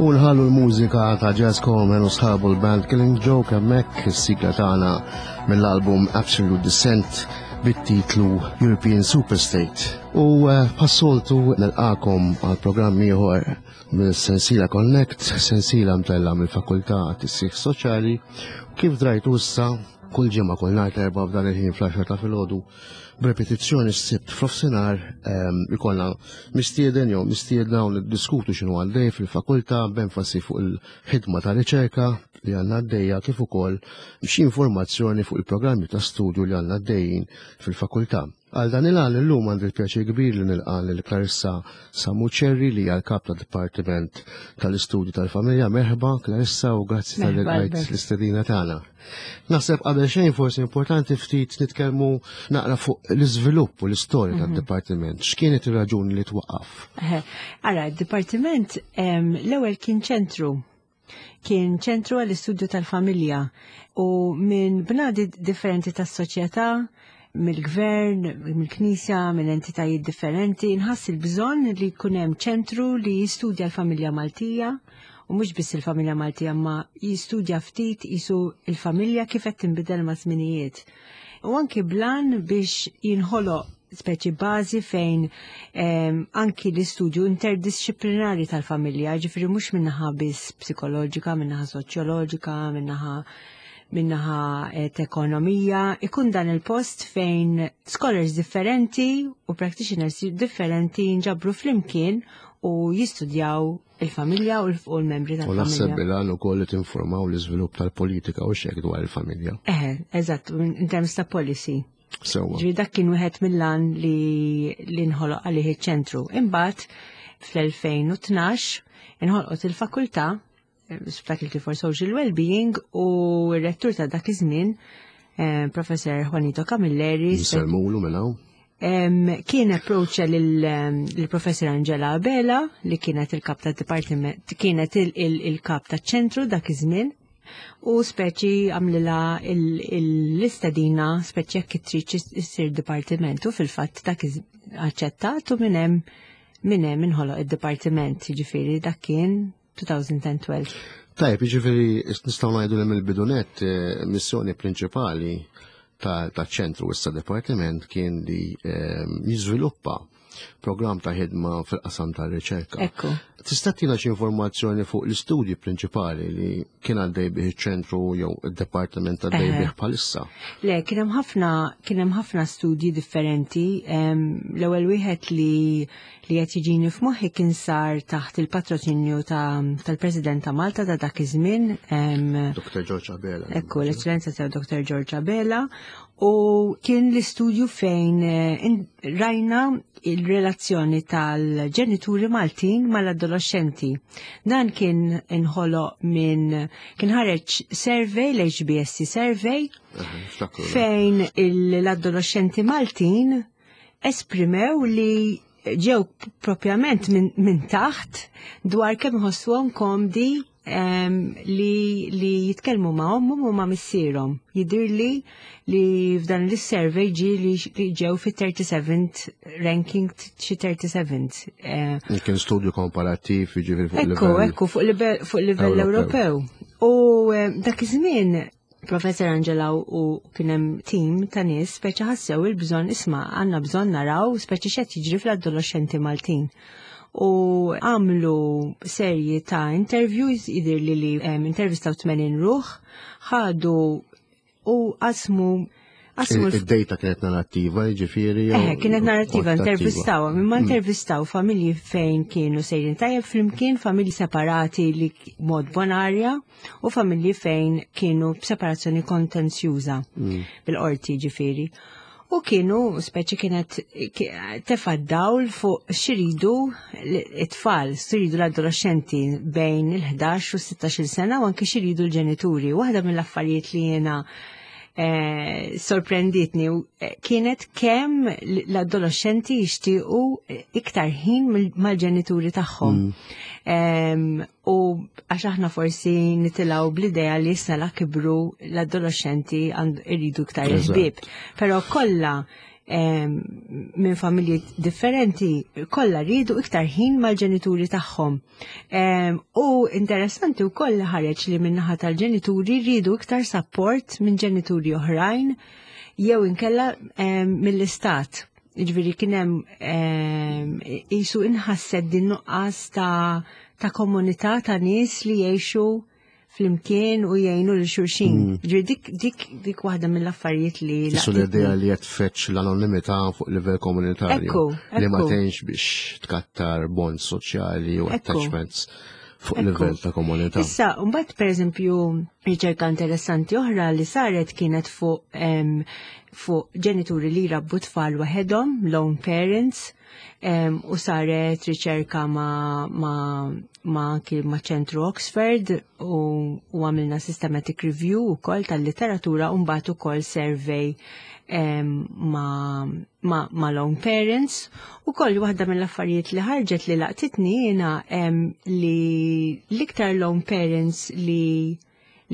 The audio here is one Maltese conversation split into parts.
U nħallu l-mużika ta' Jazz Coleman u sħabu l-band Killing Joke hemmhekk is-sigla tagħna mill-album Absolute Descent bit-titlu European Superstate. U eh, passoltu nilqakom għal programm ieħor mill-Sensila Connect, sensila mtella mill-Fakultà Tissieħ Soċjali. Kif drajtu issa kull ġimgħa kull nhar terba' f'dan il-ħin fl-10 ta' filgħodu b'repetizzjoni s-sibt f'nofsinhar ehm, ikollna mistieden jew mistiedna u niddiskutu x'inhu għaddej fil-fakultà b'enfasi fuq il-ħidma ta' riċerka li għandna għaddejja kif ukoll xi informazzjoni fuq il-programmi ta' studju li għandna għaddejjin fil-fakultà. Għal dan il-għan illum għandi l-pjaċir kbir li nilqa' lil Clarissa Samuċerri li hija l-kap tad-Dipartiment tal-Istudji tal-Familja. Merħba Clarissa u grazzi tal-li l-istedina tagħna. Naħseb qabel xejn forsi importanti ftit nitkellmu naqra fuq l-iżvilupp u l-istorja mhm. tad-dipartiment. X'kienet ir-raġuni li twaqqaf? Ara, d-dipartiment l-ewwel kien ċentru kien ċentru għall-istudju tal-familja u minn bnadi differenti tas-soċjetà, mill-gvern, mill-knisja, minn entitajiet differenti, nħass il-bżonn li jkun hemm ċentru li jistudja l-familja Maltija u mhux biss il-familja Maltija ma jistudja ftit jisu il-familja kif qed tinbidel ma' żminijiet. U anki blan biex jinħoloq speċi bażi fejn ehm, anki l-istudju interdisciplinari tal-familja, ġifiri mhux minnaħa biss psikoloġika, minnaħa soċjoloġika, minnaħa minnaħa eh, ekonomija, ikun dan il-post fejn scholars differenti u practitioners differenti jinġabru flimkien u jistudjaw il-familja u l-membri tal-familja. U naħseb bilan u koll li tinformaw l-iżvilupp tal-politika u xek dwar il-familja. Eh, eżatt, in terms ta' policy. Sewwa. Ġifieri dak kien wieħed mill-għan li li nħoloq għalih iċ-ċentru. Imbagħad fl-2012 inħolqot il-fakultà eh, Faculty for Social Wellbeing u r-rettur ta' dak iż-żmien eh, Professor Juanito Camilleri. Nsellmulu minn hawn. Kien approacha lill-Professor Angela Abela li kienet il-kap ta' dipartiment, kienet il-kap ta' ċentru dak iż-żmien u speċi għamlila l-istedina speċi jekk trid issir dipartiment u fil-fatt dak aċċettat u minn hemm minn hemm inħoloq id-dipartiment, jiġifieri dak kien 2012. Tajb, jiġifieri nistgħu ngħidu li mill-bidunet eh, missjoni prinċipali ta' ċentru issa dipartiment kien li eh, jiżviluppa programm ta' ħidma fil-qasam ta' riċerka. Ekku. Tista' tina xi informazzjoni fuq l-istudji prinċipali li kien għaddej bih iċ-ċentru jew id-dipartiment għaddej bih bħalissa? Le, kien hemm ħafna kien hemm ħafna studji differenti. L-ewwel wieħed li li qed jiġini f'moħħi kien sar taħt il-patroċinju tal-President ta' Malta ta' dak iż-żmien. Dr. George Abela. Ekku, l-Eċċellenza ta' Dr. George Abela U kien l-istudju fejn eh, rajna il-relazzjoni tal-ġenituri Maltin mal-adolescenti. Dan kien inħoloq minn kien ħareġ survey, l-HBSC survey, fejn l-adolescenti Maltin esprimew li ġew propjament minn min taħt dwar kemm ħossuhom komdi li, li jitkellmu ma' ommhom u ma' missierhom. Jidirli li f'dan l-survey ġi li ġew fi 37th ranking xi 37th. Eh, Kien studju komparattiv jiġifieri fuq livell. Ekku, ekku, fuq livell Ewropew. U eh, dak iż-żmien Professor Angela u kien hemm tim ta' nies speċi ħassew il-bżonn isma' għandna bżonn naraw speċi x'qed jiġri fl-adolescenti Maltin. U għamlu serji ta' interviews jidir li li intervistaw 80 ruħ, ħadu u qasmu Id-data kienet narrattiva, ġifiri. Eh, kienet narrattiva, intervistaw, imma mm. intervistaw familji fejn kienu sejrin tajjeb flimkien, familji separati li mod bonarja u familji fejn kienu b'separazzjoni kontenzjuża mm. bil-qorti ġifiri. U kienu, speċi kienet tefa' dawl fuq xiridu it-tfal, xiridu l-adolescenti bejn il-11 u 16 sena u anke xiridu l-ġenituri. Waħda mill-affarijiet li jena sorprenditni kienet kemm l-adolescenti jixtiequ iktar ħin mal-ġenituri tagħhom. U għax aħna forsi nitilgħu bl-idea li issa la kibru l-adolescenti iridu iktar ħbieb. Però kollha minn familji differenti kollha rridu iktar ħin mal-ġenituri tagħhom. U interessanti wkoll li ħareġ li min-naħa tal-ġenituri rridu iktar support minn ġenituri oħrajn jew inkella mill-istat. Ġifieri kien hemm qisu inħasset din nuqqas ta' komunità ta' nies li jgħixu flimkien u jgħinu lil xulxin. Ġifieri dik waħda mill-affarijiet li Qisu l-idea li qed tfetx l-anonimità fuq livell komunitarju. Li ma tgħinx biex tkattar bonds soċjali u attachments fuq livell ta' komunità. Issa, mbagħad pereżempju riċerka interessanti oħra li saret kienet fuq ġenituri li jrabbu tfal waħedhom, lone parents, u saret riċerka ma' ċentru Oxford u għamilna systematic review ukoll tal-literatura u mbagħad ukoll survey ma' lone parents. U koll waħda mill-affarijiet li ħarġet li laqtitni jiena li l-iktar lone parents li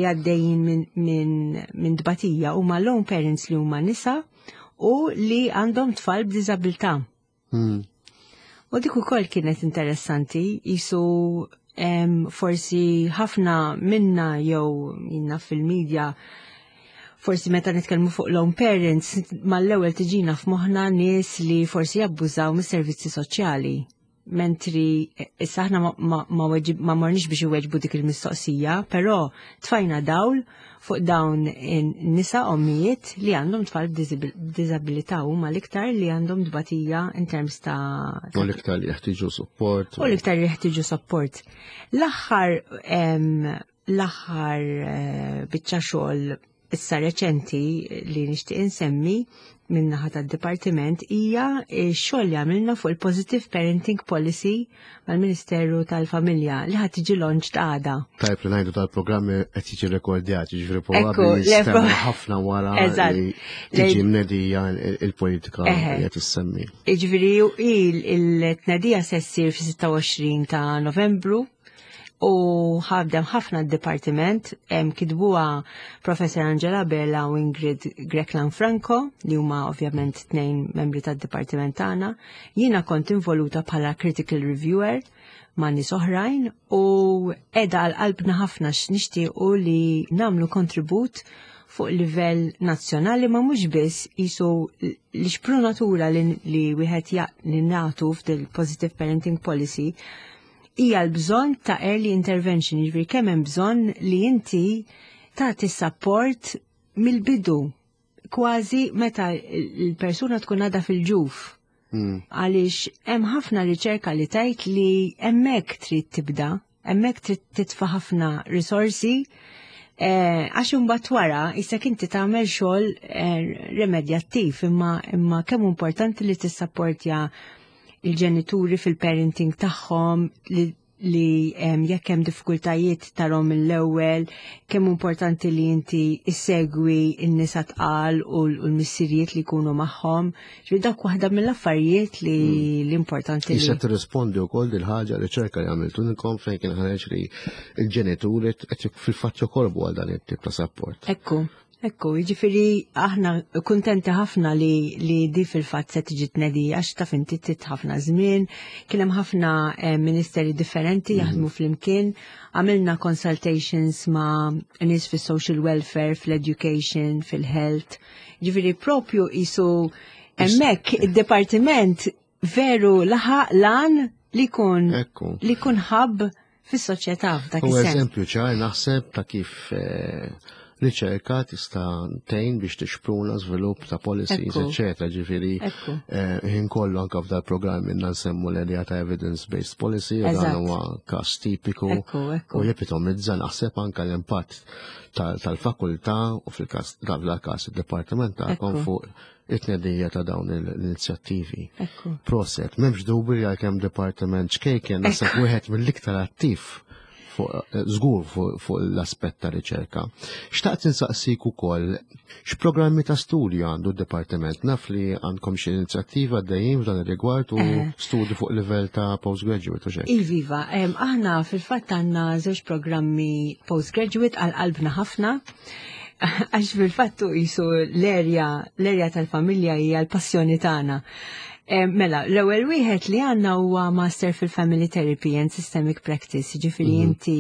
għaddejjin minn dbatija huma lone parents li huma nisa u li għandhom tfal b'diżabilità. U dik ukoll kienet interessanti, jisu forsi ħafna minna jew minna fil-medja, forsi meta nitkellmu fuq lone parents, mal-ewwel tiġina f'moħħna nies li forsi jabbużaw mis-servizzi soċjali. Mentri issa aħna ma morniex biex iweġbu dik il-mistoqsija, però tfajna dawl fuq dawn nisa ommijiet li għandhom tfal b'diżabilità huma l-iktar li għandhom dbatija in terms ta' U l-iktar li jeħtieġu support. U l-iktar li jeħtieġu support. L-aħħar biċċa xogħol issa reċenti li nixtieq insemmi min-naħa tad-dipartiment hija x-xogħol li għamilna fuq il-Positive Parenting Policy mal-Ministeru tal-Familja li ħad tiġi launch għada. Tajb li ngħidu tal-programmi qed jiġi rekordjat, jiġifieri probabbli jistgħu ħafna wara li tiġi mnedija il-politika li qed issemmi. Jiġifieri il-tnedija se ssir fis-26 ta' Novembru u ħadem ħafna d-dipartiment, kitbuha Professor Angela Bella u Ingrid Grech Lanfranco, li huma ovvjament tnejn membri tad-dipartiment tagħna. Jiena kont involuta bħala critical reviewer ma' nies oħrajn u qiegħda għal qalbna ħafna x'nixtiequ li nagħmlu kontribut fuq livell nazzjonali ma mhux biss jisu l-xprunatura li wieħed li nagħtu f'dil Positive Parenting Policy hija l-bżonn ta' early intervention, jiġifieri kemm hemm bżonn li inti tagħti support mill-bidu, kważi meta l-persuna tkun għadha fil-ġuf. Għaliex hemm ħafna riċerka li tgħid li hemmhekk trid tibda, hemmhekk trid titfa' ħafna risorsi, għax imbagħad wara issa inti tagħmel xogħol remedjattiv, imma kemm importanti li tissapportja il-ġenituri fil-parenting tagħhom li jekk hemm diffikultajiet tarhom mill-ewwel, kemm importanti li inti issegwi n-nisa tqal u l-missirijiet li jkunu magħhom. Ġifieri dak waħda mill-affarijiet li l-importanti li Issa tirrispondi wkoll dil ħaġa riċerka li għamiltu inkom fejn kien ħareġ li l-ġenituri qed fil-fatt jokorbu għal dan it-tip ta' support. Ekku. Ekku, jiġifieri aħna kuntenti ħafna li di fil-fatt se tiġi tnedija għax taf inti tit ħafna żmien, kien hemm ħafna ministeri differenti jaħdmu flimkien, għamilna consultations ma' nies fis-social welfare, fl-education, fil-health. Jiġifieri propju jisu hemmhekk id-dipartiment veru laħaq lan li jkun ħabb fis-soċjetà f'dak U is-sens. eżempju ċar naħseb ta' kif riċerka tista' tgħin biex tixpruna żvilupp ta' policies, eċċetera. Ġifieri, ħin kollu anke f'dal programm minna nsemmu l-idea ta' evidence-based policy, u dan huwa każ tipiku u jepitomizza naħseb anke l-impatt tal-fakultà u fil-każ dal-każ id-dipartiment tagħkom fuq It-tnedija ta' dawn l-inizjattivi. Proset, m'hemmx dubju li għalkemm dipartiment ċkejken naħseb wieħed mill-iktar attiv eh, żgur fuq l-aspett ta' riċerka. Xtaqt insaqsik ukoll x'programmi ta' studju għandu d-dipartiment? Naf li għandkom xi inizjattiva għaddejjin f'dan ir-rigward u eh. studju fuq livell ta' postgraduate u xejn. Iviva, aħna fil-fatt għandna żewġ programmi postgraduate għal qalbna ħafna. Għax fil-fattu jisu l-erja, l-erja tal-familja hija l-passjoni tagħna. Eh, mela, l-ewwel wieħed li għandna huwa Master fil-Family Therapy and Systemic Practice, ġifieri mhm. inti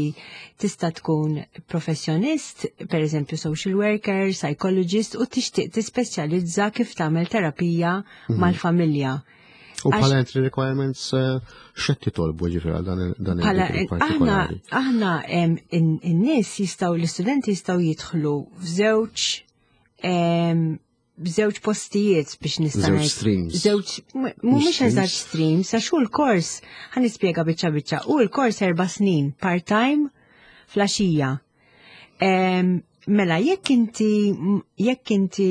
tista' tkun professjonist, per eżempju social worker, psychologist, u tixtieq tispeċjalizza kif tagħmel terapija mhm. mal-familja. U bħala entry requirements eh, x'qed titolbu ġifieri għal dan il Aħna aħna in-nies jistgħu l-istudenti jistgħu jidħlu f'żewġ b'żewġ postijiet biex nista' Żewġ streams. Żewġ mhumiex eżatt streams, għax hu l-kors ħa nispjega biċċa biċċa. Hu l-kors erba' snin part-time flaxija. Mela, jekk inti jekk inti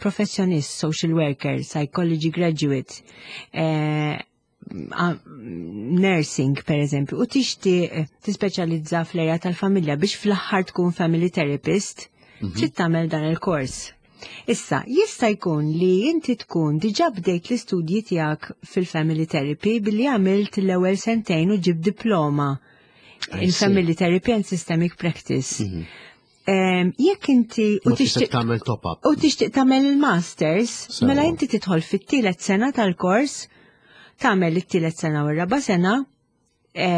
professjonist, social worker, psychology graduate, eh, nursing per eżempju, u tixtieq tispeċjalizza fl-erja tal-familja biex fl-aħħar tkun family therapist, mhm. trid tagħmel dan il-kors. Issa, jista' jkun li inti tkun diġà bdejt l-istudji tiegħek fil-family therapy billi għamilt l-ewwel sentejn u ġib diploma in family therapy and systemic practice. Mhm. Jekk inti u tixtieq tagħmel top up. U tixtieq tagħmel il-masters, mela inti tidħol fit-tielet sena tal-kors, tagħmel it-tielet sena u r-raba' sena, e,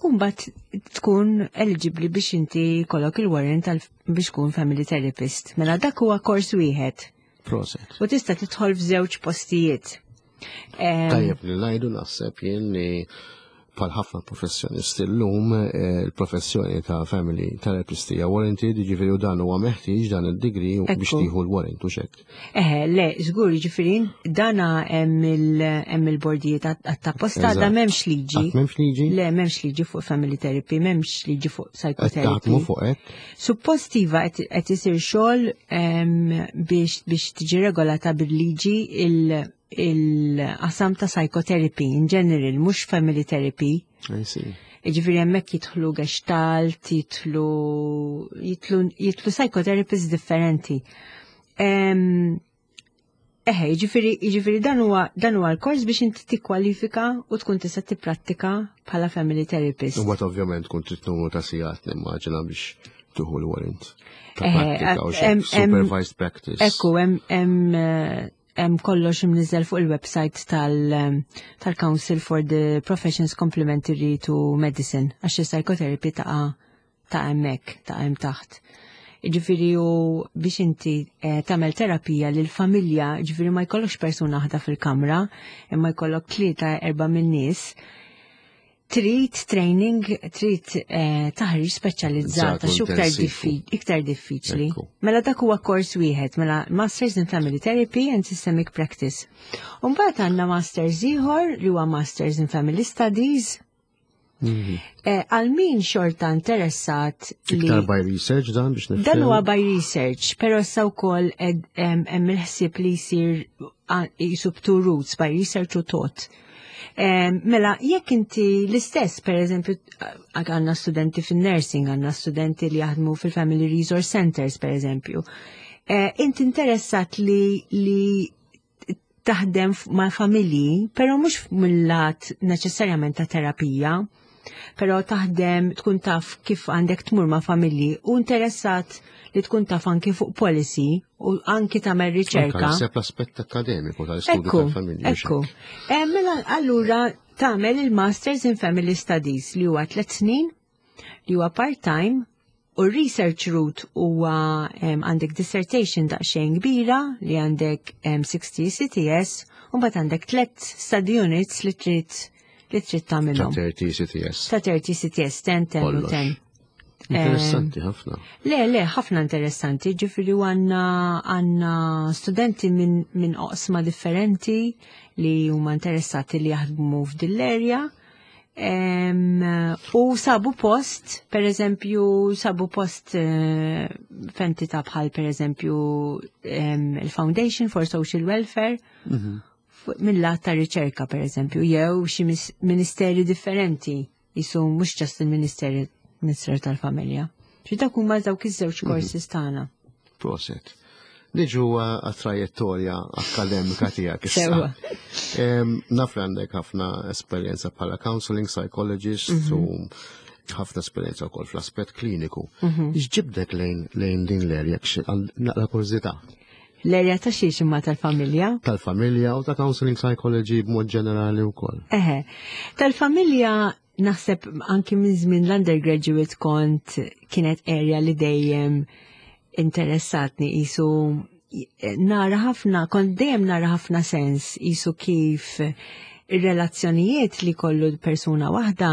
u mbagħad tkun eligibbli biex inti kollok il-warrant biex tkun family therapist. Mela dak huwa kors wieħed. Proset. U tista' tidħol f'żewġ postijiet. Tajjeb li ngħidu naħseb jien li bħal ħafna professjonisti llum eh, il-professjoni ta' family therapist hija warranted, jiġifieri u dan huwa meħtieġ dan id-degree biex tieħu l-warrant u xek. Eh, le, żgur, jiġifieri dana hemm il-bordijiet għat-tapposta da m'hemmx liġi. M'hemmx liġi? Le, m'hemmx liġi fuq family therapy, m'hemmx liġi fuq psychotherapy. fuq hekk? Suppost iva qed isir xogħol biex biex tiġi regolata bil-liġi il-qasam ta' psychotherapy in general, mhux family therapy. I see. Ġifieri hemmhekk jidħlu gestalt, jidħlu jidħlu psychotherapists differenti. Eħe, ġifiri, ġifiri dan huwa dan huwa l-kors biex inti tikkwalifika u tkun tista' tipprattika bħala family therapist. U mbagħad ovvjament tkun trid numru ta' sigħat nimmaġina biex tuħu l-warrant. Ta' prattika u supervised practice. Ekku, hemm hemm kollox imniżel fuq il-website tal-Council for the Professions Complementary to Medicine għax il-psychotherapy taqa' ta' hemmhekk, ta' hemm taħt. Ġifieri u biex inti eh, tagħmel terapija lil familja, ġifieri ma jkollokx persuna waħda fil-kamra, imma jkollok tlieta erba' min-nies, trid training, trid eh, taħriġ speċjalizzata xu iktar diffiċli. Mela dak huwa kors wieħed, mela Masters in Family Therapy and Systemic Practice. Umbagħad għandna Masters ieħor li huwa Masters in Family Studies. Mhm. Eh, għal min xorta interessat li. Iktar by research dan biex nifhem. Dan huwa by research, però issa wkoll hemm il-ħsieb li jsir jisu two roots by research u tot. Mela, jekk inti l-istess, per eżempju, għanna studenti fin-nursing, għanna studenti li jaħdmu fil-Family Resource Centers, per eżempju, eh, inti interessat li, li taħdem ma' familji, pero mhux mill-lat neċessarjament ta' terapija, pero taħdem tkun taf kif għandek tmur ma' familji u interessat li tkun taf anki fuq policy u anki tagħmel riċerka. Naħseb l-aspett akademiku tal-istudju tal-familji. Ekku. Eh, mela allura tagħmel il-Masters in Family Studies li huwa tliet snin li huwa part-time u research route huwa għandek dissertation daqsxejn kbira li għandek 60 CTS u mbagħad għandek tliet study units li trid li trid tagħmilhom. Ta' 30 CTS. Ta' 30 CTS, 10, 10 u 10. Interessanti ħafna. Le, le, ħafna interessanti, ġifiri għanna għanna studenti minn min oqsma differenti li huma interessati li jaħdmu f'dil-erja. U sabu post, per eżempju, sabu post eh, f'entità bħal per eżempju il-Foundation for Social Welfare, mill-lat ta' riċerka per eżempju, jew xi ministeri differenti, jisu mhux ġast il-Ministeri Ministeru tal-Familja. Xi dak huma dawk iż-żewġ courses tagħna. Proset. Niġu għat-trajettorja akkademika tiegħek issa. Sewa. Naf li għandek ħafna esperjenza bħala counseling psychologist u ħafna esperjenza wkoll fl-aspett kliniku. X'ġibdek lejn din l-erja naqra kurżità L-erja ta' xiex imma tal-familja? Tal-familja u ta' counseling psychology b'mod ġenerali wkoll. Eħe, tal-familja naħseb anki minn żmien l-undergraduate kont kienet area li dejjem interessatni jisu nara ħafna, kont dejjem nara ħafna sens jisu kif ir-relazzjonijiet li kollu persuna waħda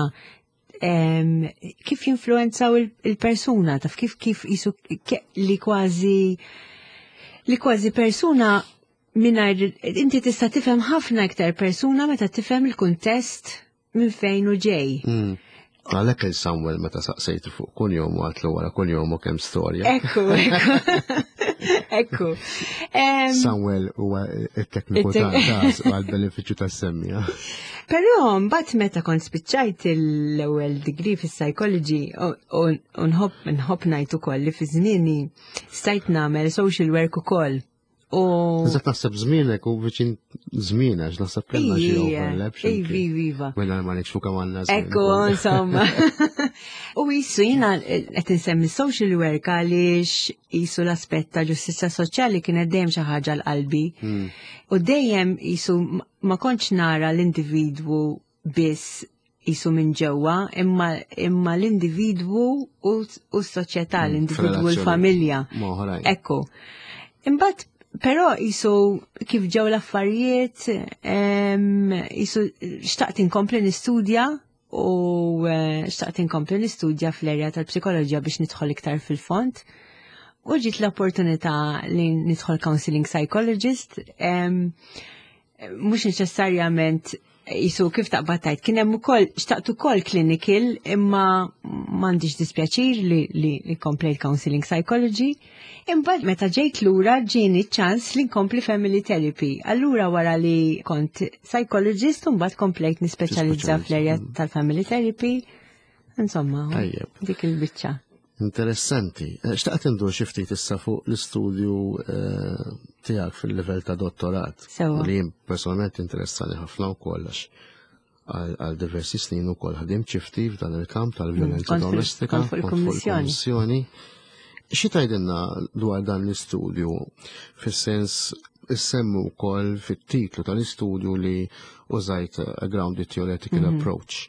kif jinfluenzaw il-persuna, taf kif kif jisu li kważi li kważi persuna mingħajr inti tista' tifhem ħafna iktar persuna meta tifhem il-kuntest minn fejn u ġej. Għalhekk il-Samuel meta saqsejtu fuq kunjom u għatlu wara kunjom u kemm storja. Ekku, ekku. Ekku. Samuel huwa it-tekniku ta' għal-benefiċċju tas-semmija. Però mbagħad meta kont spiċċajt l-ewwel degree fis-psychology u nħobb nħobb ngħid ukoll li fi żmieni stajt nagħmel social work ukoll. U Eżatt naħseb żmienek u viċin żmien għax naħseb kellna xi overlap. xi Ivi, mkien. iva. Mela ma nikxfu kemm għandna żmien Ekku, ukoll. insomma. U jisu jina qed insemmi social work għaliex jisu l-aspett ta' ġustizzja soċjali kienet dejjem xi ħaġa l-qalbi. U dejjem jisu ma kontx nara l-individwu biss jisu minn ġewwa, imma l-individwu u s-soċjetà, l-individwu u f'relazzjoni l-familja. ma' oħrajn. Ekku. Imbagħad però jisu kif ġew l-affarijiet, jisu xtaqt inkompli nistudja u xtaqt inkompli nistudja fl-erja tal-psikoloġija biex nidħol iktar fil-fond. U ġiet l-opportunità li nidħol counseling psychologist, mhux neċessarjament jisu kif taqbad tajt, kien hemm ukoll xtaqt ukoll clinical, imma m'għandix dispjaċir li komplejt counseling psychology. Imbagħad meta ġejt lura ġieni ċans li nkompli family therapy. Allura wara li kont psychologist u mbagħad komplejt nispeċjalizza Tispeċjalizza, fl-erja tal-family therapy. Insomma, Tajjeb. dik il-biċċa. Interessanti. Xtaqt indur xi ftit issa fuq l-istudju tiegħek fil-livell ta' dottorat. Sewa. Li jien personalment interessani ħafna wkoll għax għal diversi snin ukoll ħdimt xi ftit f'dan il-kamp tal-vjolenza domestika, Kont fuq kont fuq il-kummissjoni. il-kummissjoni. Xi tgħidilna dwar dan l-istudju fis-sens issemmu wkoll fit-titlu tal-istudju li użajt a grounded theoretical approach.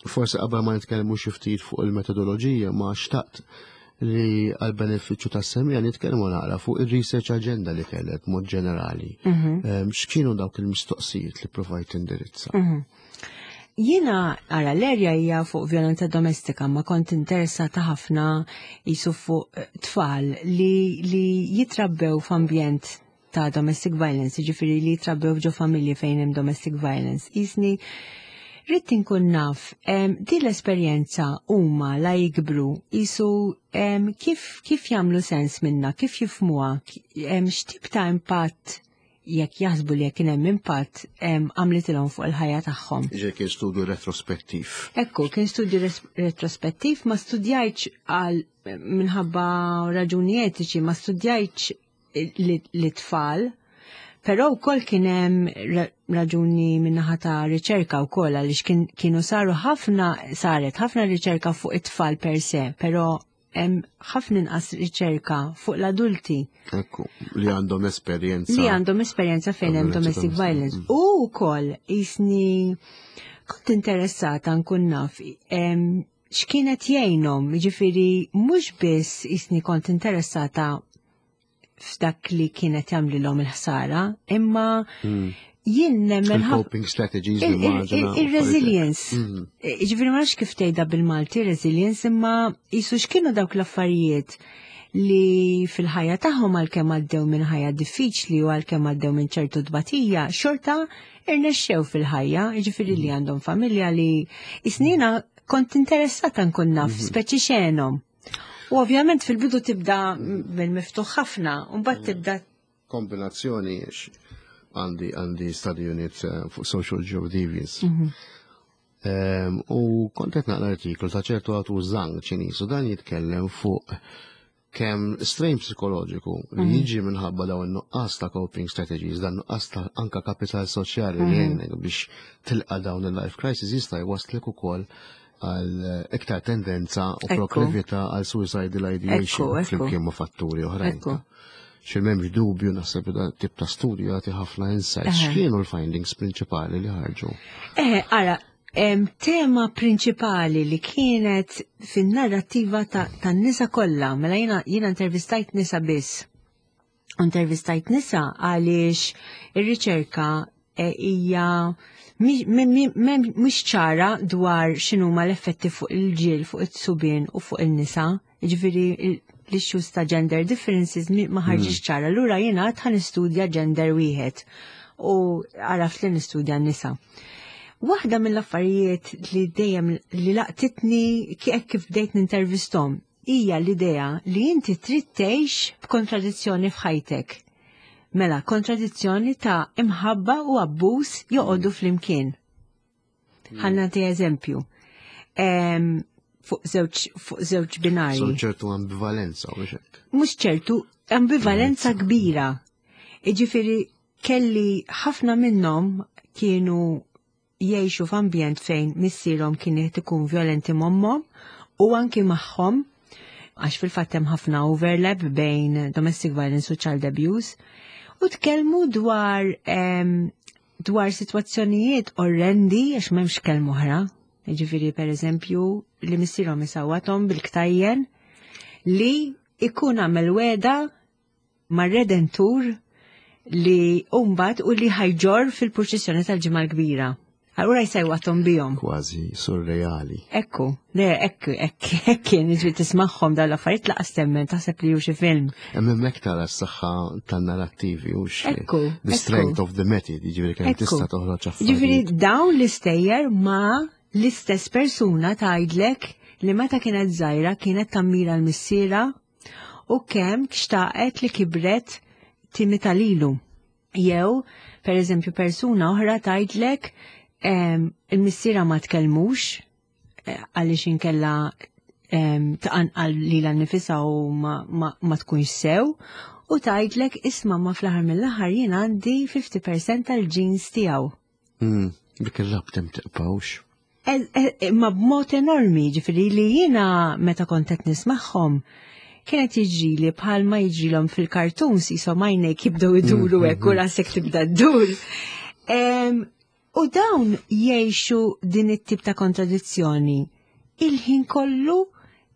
Forsi qabel ma nitkellmu xi ftit fuq il-metodoloġija, ma xtaqt li għal benefiċċju tas-semmiegħa nitkellmu naqra fuq il-research agenda li kellek mod ġenerali. X'kienu dawk il-mistoqsijiet li provajt tindirizza? Jiena, ara, l-erja hija fuq violenza domestika, ma kont interessata ħafna jisu fuq tfal li jitrabbew f'ambjent ta' domestic violence, ġifieri li jitrabbew ġo familji fejn hemm domestic violence. Jisni, rrid inkun naf, din l-esperjenza huma la jikbru, jisu kif jagħmlu sens minna, kif jifmuha, x'tip ta' impatt jekk jaħsbu li jekk kien hemm impatt għamlitilhom fuq il-ħajja tagħhom. Ġe kien studju retrospettiv. Ekku, kien studju retrospettiv, ma studjajtx għal minħabba raġuni etiċi, ma studjajtx li tfal, però wkoll kien hemm raġuni minnaħa ta' riċerka wkoll għaliex kienu saru ħafna, saret ħafna riċerka fuq it-tfal per se, però hemm ħafna inqas riċerka fuq l-adulti. Ekku, li għandhom esperjenza. Li għandhom esperjenza fejn hemm Violenza domestic domestika. violence. U wkoll jisni kont interessata nkun naf x'kienet jgħinhom, jiġifieri mhux biss jisni kont interessata f'dak li kienet jagħmlilhom il-ħsara, imma jien nemmen Il-coping strategies li maġna u il-resilience. affarijiet. Ġifieri ma nafx kif tgħidha bil-Malti resilience, imma jisu x'kienu dawk l-affarijiet. li fil-ħajja tagħhom għalkemm għaddew minn ħajja diffiċli u għalkemm għaddew minn ċertu tbatija, xorta irnexxew fil-ħajja, jiġifieri li għandhom familja li isnina kont interessata nkun naf speċi xenhom. U ovvjament fil-bidu tibda mill-miftuħ ħafna, u mbagħad tibda Kombinazzjoni għandi għandi study unit fuq social geodeviance. U kont qed naqra artiklu ta' ċertu għatu Zhang Ċiniż u dan jitkellem fuq kemm strain psikoloġiku li jiġi minħabba dawn in-nuqqas ta' coping strategies, dan nuqqas ta' anka kapital soċjali li jgħinek biex tilqa' dawn il-life crisis jista' jwaslek ukoll għal iktar tendenza u proklività għal suicidal ideation flimkien ma' fatturi oħrajn. Xi m'hemmx dubju naħseb da tip ta' studju jagħti ħafna insights. X'kienu l-findings prinċipali li ħarġu? Ara, tema prinċipali li kienet fin-narrattiva tan-nisa kollha, mela jiena intervistajt nisa biss. Intervistajt nisa għaliex ir-riċerka hija mhix ċara dwar x'inhuma l-effetti fuq il-ġil, fuq it-subien u fuq il-nisa. Ġifieri l-issues ta' gender differences ma ħarġix ċara. Allura jiena għad ħa nistudja gender wieħed u għaraft li nistudja n-nisa. Waħda mill-affarijiet li dejjem li laqtitni kif bdejt nintervistom hija l-idea li inti trid tgħix b'kontradizzjoni f'ħajtek. Mela, kontradizzjoni ta' imħabba u abbuż joqogħdu flimkien. Ħa nagħti eżempju. Fuq żewġ binari. So ċertu ambivalenza, u hekk. Mhux ċertu, ambivalenza kbira. Iġifieri kelli ħafna minnhom kienu jgħixu f'ambjent fejn missierhom kien qed ikun violenti m'ommhom u anki magħhom, għax fil-fatt hemm ħafna overlap bejn domestic violence u child abuse, u tkellmu dwar sitwazzjonijiet orrendi, għax m'hemmx kelma oħra. Ġifieri, per eżempju, li missierhom isawwathom bil-ktajjen, li ikun għamel wegħda mar-Redentur li umbat u li ħa jġorr fil-purċissjoni tal-Ġimgħa l-Kbira. Allura jsawwathom bihom. Kważi surreali. Ekku, le, ekku, ekku, ekku, kien ġi tismagħhom dal-affarijiet lanqas temmen, taħseb li hu xi film. Hemm hemmhekk tara s-saħħa tan-narrattivi u the strength of the method, jiġifieri kemm tista' toħroġ Ġifieri affarijiet. Dawn l-istejjer ma l-istess persuna tgħidlek li meta kienet żgħira kienet tammira l-missiera u kemm xtaqet li kibret timita lilu. Jew, per eżempju, persuna oħra tgħidlek il-missiera ma tkellmux għaliex inkella tqanqal lilha nnifisha u ma tkunx sew u tgħidlek, "Isma', ma fl-aħħar mill-aħħar jien għandi 50% tal-genes tiegħu." Dik ir-rabta ma tibqax. Ma b'mod enormi, ġifieri li jiena meta kont qed nismagħhom kienet jiġri li bħalma jiġrilhom fil-cartoons, jisom għajnejk jibdew iduru hekk u rasek tibda ddur. U dawn jgħixu din it-tip ta' kontradizzjoni il-ħin kollu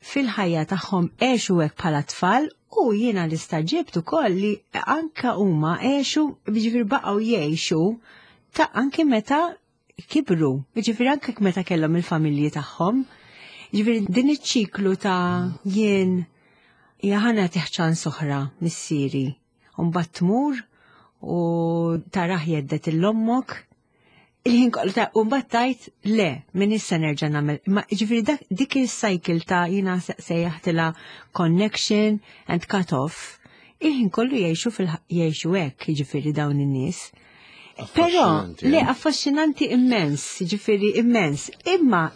fil-ħajja tagħhom, għexu hekk bħala tfal u jiena li stagħġibt ukoll li anka huma għexu, ġifieri baqgħu jgħixu ta' anke meta kibru, ġifieri anke meta kellhom il-familji tagħhom. Ġifieri din iċ-ċiklu ta' jien ħa nagħtih ċans oħra missieri. U mbagħad tmur u tarah jhedded 'l ommok. Il-ħin kollu ta' u mbagħad tgħid, "Le, minn issa nerġa' nagħmel." Ma ġifieri dik il-cycle ta' jiena sejjaħtilha connection and cut off. Il-ħin kollu jgħixu hekk, ġifieri dawn in-nies. Però, Affaxxinanti, le, eh? Affaxxinanti immens, ġifieri immens. Imma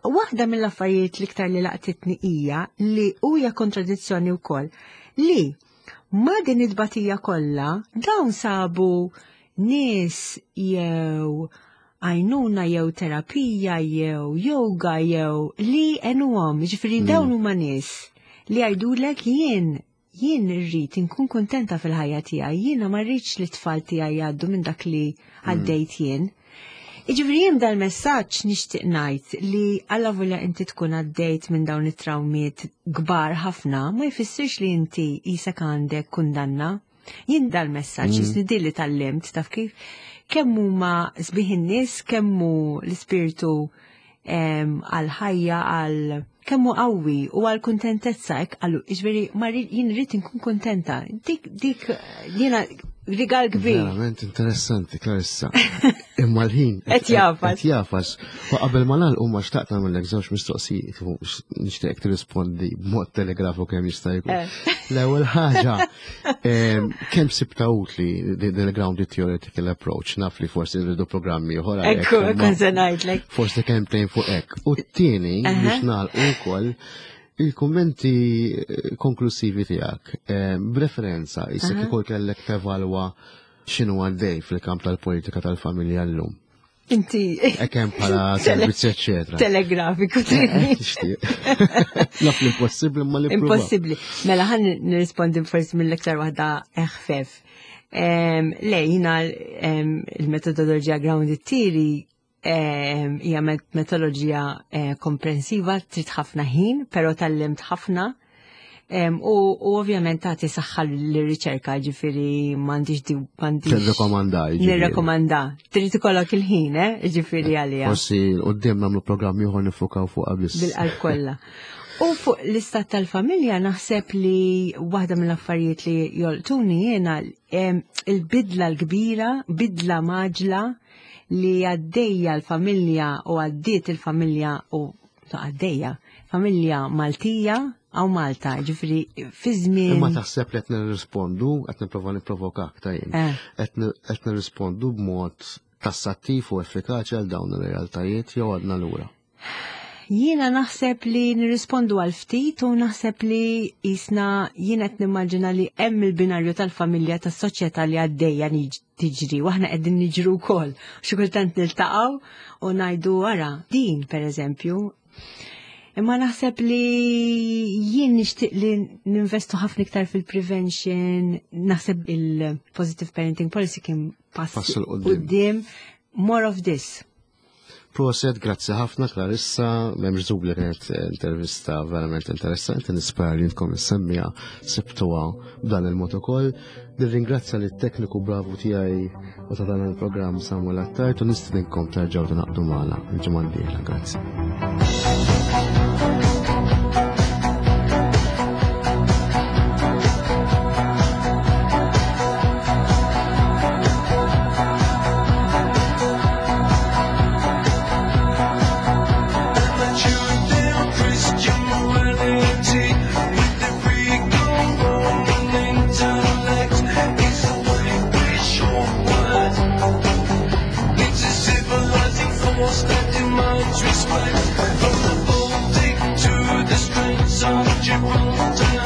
waħda mill-affarijiet l-iktar li laqtitni hija li huja kontradizzjoni wkoll li ma din it-tbatija kollha dawn sabu nies jew għajnuna jew terapija jew yoga jew li għenuhom, ġifieri dawn huma nies li jgħidulek, Jien irrid inkun kontenta fil-ħajja tiegħi, jiena ma rridx li t-tfal tiegħi jgħaddu minn dak li għaddejt jien." Iġifieri jien dal-messaġġ nixtieq ngħid li allavolja inti tkun għaddejt minn dawn it-trawmiet kbar ħafna, ma jfissirx li inti jisek għandek kundanna. Jien dal-messaġġ jisni li tgħallimt, taf kif, kemm huma sbieħ in-nies, kemm hu l-ispirtu għal-ħajja, għal Kemm hu qawwi u għal kuntentezza hekk qalu, jiġifieri ma jien rrid inkun kuntenta. Dik dik jiena rigal kbir. Verament interessanti, Clarissa. Imma l-ħin. Qed jafas. Qed jafas. U qabel ma nagħlqu ma xtaqt nagħmellek żewġ mistoqsijiet u nixtieq tirrispondi b'mod telegrafu kemm jista' jkun. Eh. L-ewwel ħaġa, kemm sibta utli din il-grounded theoretical approach, naf li forsi rridu programmi oħra. Ekku, ekku se ngħidlek. Forsi kemm tgħin fuq hekk. U t-tieni biex nagħlqu wkoll il-kummenti eh, konklusivi tiegħek b'referenza issa kieku kellek tevalwa x'inhu għaddej fil-kamp tal-politika tal-familja llum. Inti. Ekem bħala servizzi, eccetera. Telegrafiku eh, eh, Naf li impossibbli ma li Impossibbli. Mela ħan nirrispondi forsi mill-iktar waħda eħfef. Le, jina il-metodoloġija grounded theory hija metodoloġija eh, komprensiva, trid ħafna ħin, però tallimt ħafna. U ovvjament tagħti saħħa l-riċerka, ġifieri m'għandix di m'għandix. Tirrekomanda, ġifieri. Nirrekomanda. Trid ikollok il-ħin, eh, ġifieri għalija. Forsi qudiem nagħmlu programm ieħor nifukaw fuq biss. Bil-qalb kollha. U fuq l-istat tal-familja naħseb li waħda mill-affarijiet li jolqtuni jiena il-bidla l-kbira, bidla maġla li għaddejja l-familja u għaddiet il-familja u għaddejja familja Maltija għaw Malta, ġifri fi żmien. Imma taħseb li qed nirrispondu, qed nipprova nipprovokak ta' jien. Eh. Qed nirrispondu b'mod tassattiv u effikaċi għal dawn ir-realtajiet jew għadna lura. Jiena naħseb li nirrispondu għal ftit u naħseb li jisna jiena qed nimmaġina li hemm il-binarju tal-familja tas-soċjetà li għaddejja tiġri u aħna qegħdin niġru wkoll. Xi kultant niltaqgħu u ngħidu ara din pereżempju. Imma naħseb li jien nixtieq li ninvestu ħafna iktar fil-prevention, naħseb il-positive parenting policy kien pass quddiem. More of this. Proset, grazzi ħafna Clarissa, memx dubju li kienet intervista verament interessanti, nispera li intkom is-semmija sibtuha b'dan il-mod ukoll. Nirringrazzja lit tekniku bravu tiegħi u ta' dan il-programm Samuel Attard u nistedinkom terġgħu tingħaqdu magħna l-ġimgħa d-dieħla. Grazzi. Respect from the Baltic to the Straits of Gibraltar.